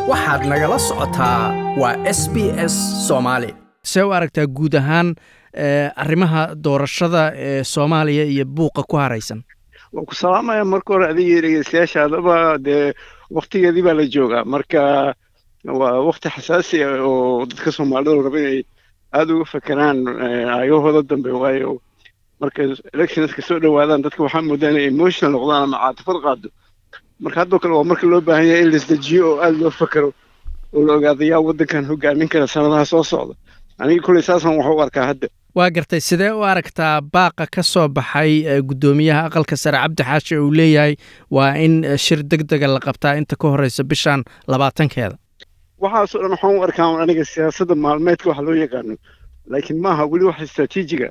Waxaad nagala socotaa waa SBS Soomaali. See u aragtaa guud ahaan arrimaha doorashada ee Soomaaliya iyo buuqa ku haraysan? Waan ku salaamaya marka hore adiga iyo dhegeystayaashaadaba. Dee waktigeedii baa la joogaa, marka waa wakti xasaasi ah oo dadka Soomaalida la rabo inay aada uga fakeraan aayahooda dambe, waayo marka electionska soo dhowaadaan dadka waxaa moodaa inay emotional noqdaan ama caatifad qaado. Marka haddoo kale waa marka loo baahan yahay in la isdejiyo oo aada loo fakero oo la ogaado yaa waddankan hogaamin kara sanadaha soo socda. Aniga kulley saasaan wax u arkaa hadda. Waa gartay. Sidee u aragtaa baaqa ka soo baxay guddoomiyaha Aqalka Sare Cabdi Xaashi uu leeyahay waa in shir deg dega la qabtaa inta ka horeysa bishan 20-keeda? Waxaasoo dhan waxaan u arkaa aniga siyaasadda maalmeedka waxa loo yaqaano, laakiin maaha weli wax istraatiijiga.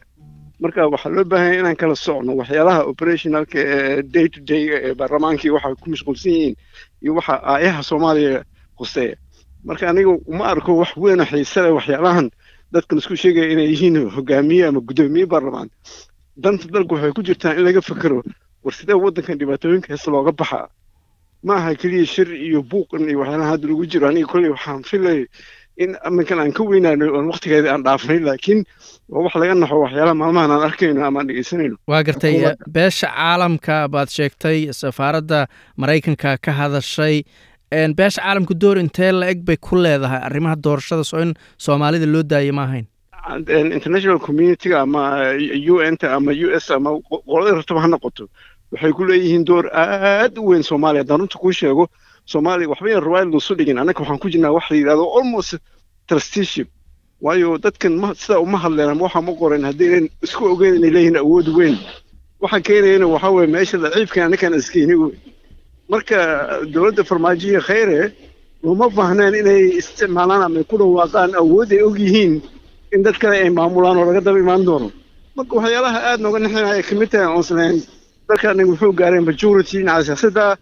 Marka waxaa loo baahan yahay inaan kala socno waxyaalaha operationalka ee day to day ee baarlamaankii waxa ku mashquulsan yihiin iyo waxa aayaha Soomaaliya khuseeya. Marka aniga uma arko wax weyn oo xiise leh waxyaalahan dadkan isku sheegaya inay yihiin hogaamiye ama guddoomiye baarlamaan. Danta dalku waxay ku jirtaa in laga fekero war sidee waddankan dhibaatooyinka heesta looga baxaa. Ma aha keliya shir iyo buuqan iyo waxyaalaha hadda lagu jiro. Aniga kolley waxaan filay in aminkan aan ka weynaano oon waktigeeda aan dhaafnay, laakiin waa wax laga naxo waxyaalaha maalmahan aan arkayno ama aan dhegeysanayno. Waa gartay. Beesha caalamka baad sheegtay, safaaradda Maraykanka ka hadashay. Beesha caalamka door intee la eg bay ku leedahay arrimaha doorashada? Soo in Soomaalida loo daayay ma ahayn? International community-ga ama UN-ta ama US ama qolada rabtaba ha noqoto, waxay ku leeyihiin door aad u weyn Soomaaliya. Haddaan runta kuu sheego, Soomaaliya waxba yan riwaayad loosu dhigin. Annaka waxaan ku jirnaa wax la yidhahdo almost trusteeship, waayo dadkan ma sidaa uma hadleen ama waxaa ma qoren haddaynan isku ogeyn inay leeyihiin awood weyn. Waxa keenayana waxaa weeye meesha daciifka annakaan iskeyni wey. Marka dowladda Farmaajo iyo Khayre looma baahneen inay isticmaalaan ama ay ku dhawaaqaan awood ay og yihiin in dad kale ay maamulaan oo laga daba imaan doono. Marka waxyaalaha aad nooga nixinaya kamid tahay oonslahayn dalka anaga wuxuu gaaray majority dhinaca siyaasadda,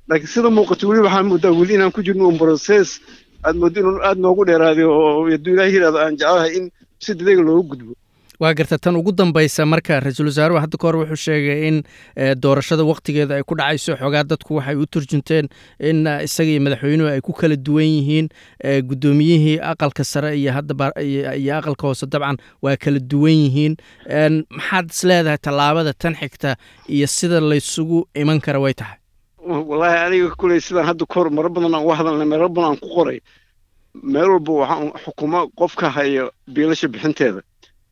laakiin sida muuqato weli waxaa moodaa weli inaan ku jirno un process aad moodo inuu aad noogu dheeraaday, oo hadduu Ilaah yidhahdo aan jecelahay in si degdega loogu gudbo. Waa garta. Tan ugu dambaysa, marka ra-iisul wasaaruhu hadda ka hor wuxuu sheegay in doorashada waktigeeda ay ku dhacayso. Xoogaa dadku waxay u turjunteen in isaga iyo madaxweynuhu ay ku kala duwan yihiin, guddoomiyihii Aqalka Sare iyo hadda iyo Aqalka Hoose dabcan waa kala duwan yihiin. Maxaad is leedahay tallaabada tan xigta iyo sida laysugu iman kara way tahay? Wallaahi aniga kuley sidaan hadda kahor maro badan aan uga hadalnay, meelo badan aan ku qoray, meel walba waxaan xukumo qofka haya biilasha bixinteeda.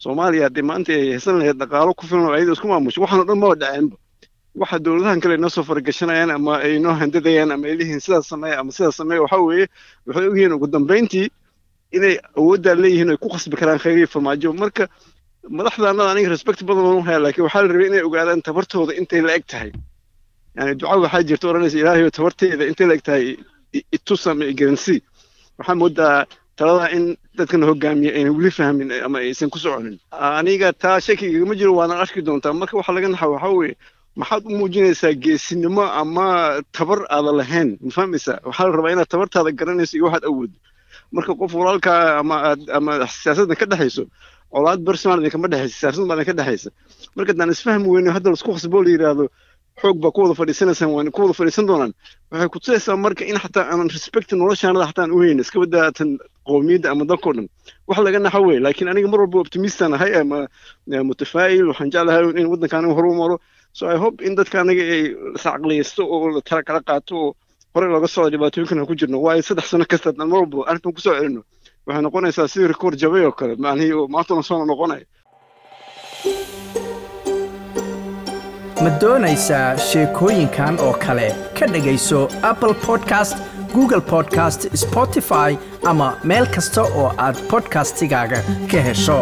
Soomaaliya haddii maanta ay haysan lahayd dhaqaalo ku filan oo ayada isku maamusho, waxaan o dhan maba dhaceenba. Waxa dowladahan kale inoo soo faragashanayaan ama ay inoo handadayaan ama ay leeyihiin sidaas sameeya ama sidaas sameeya, waxaa weeye waxay ogyihiin ugu dambayntii inay awooddaa leeyihiin ay ku khasbi karaan Khayriya Farmaajo. Marka madaxdaanada aniga respect badan oon u haya, laakiin waxaa la rabay inay ogaadaan tabartooda intay la eg tahay. Yani duca waxaa jirta odhanaysa "Ilaahayo, tabarteeda intay la eg tahay itus ama igaransi". Waxaa moodaa talada in dadkan hogaamiya aynan weli fahmin ama aysan ku soconin. Aniga taa shaki igama jiro, waana arki doontaa. Marka waxa laga naxa waxaa weeye maxaad u muujinaysaa geesinimo ama tabar aada lahayn? Ma fahmaysaa? Waxaa la rabaa inaad tabartaada garanayso iyo waxaad awooddo. Marka qof walaalkaa ama aad ama siyaasaddan ka dhexayso, colaad personal idinkama dhexaysa, siyaasad baa idinka dhexaysa. Marka haddaan isfahmi weyno, hadda laisku khasboo la yidhaahdo xoog baa ku wada fadhiisanaysaan, waan ku wada fadhiisan doonaan, waxay ku tusaysaa marka in xataa aanan respect noloshaanada xataa aan u haynin, iska badaa tan qowmiyadda ama dalkao dhan. Wax laga naxo wey, laakiin aniga mar walba optimistan ahay ama mutafaa'il. Waxaan jeclahay in waddanka aniga horu maro, so I hope in dadka aniga ay iscaqliyaysto oo la tala kala qaato oo horey looga socdo dhibaatooyinkan aan ku jirno, waayo 3 sano kasta haddaan mar walba arrintan kusoo celino waxay noqonaysaa sidii record jabay oo kale, macnihii oo maantuna soo noqonaya. Ma doonaysaa sheekooyinkan oo kale? Ka dhegayso Apple Podcast, Google Podcast, Spotify ama meel kasta oo aad podcastigaaga ka hesho.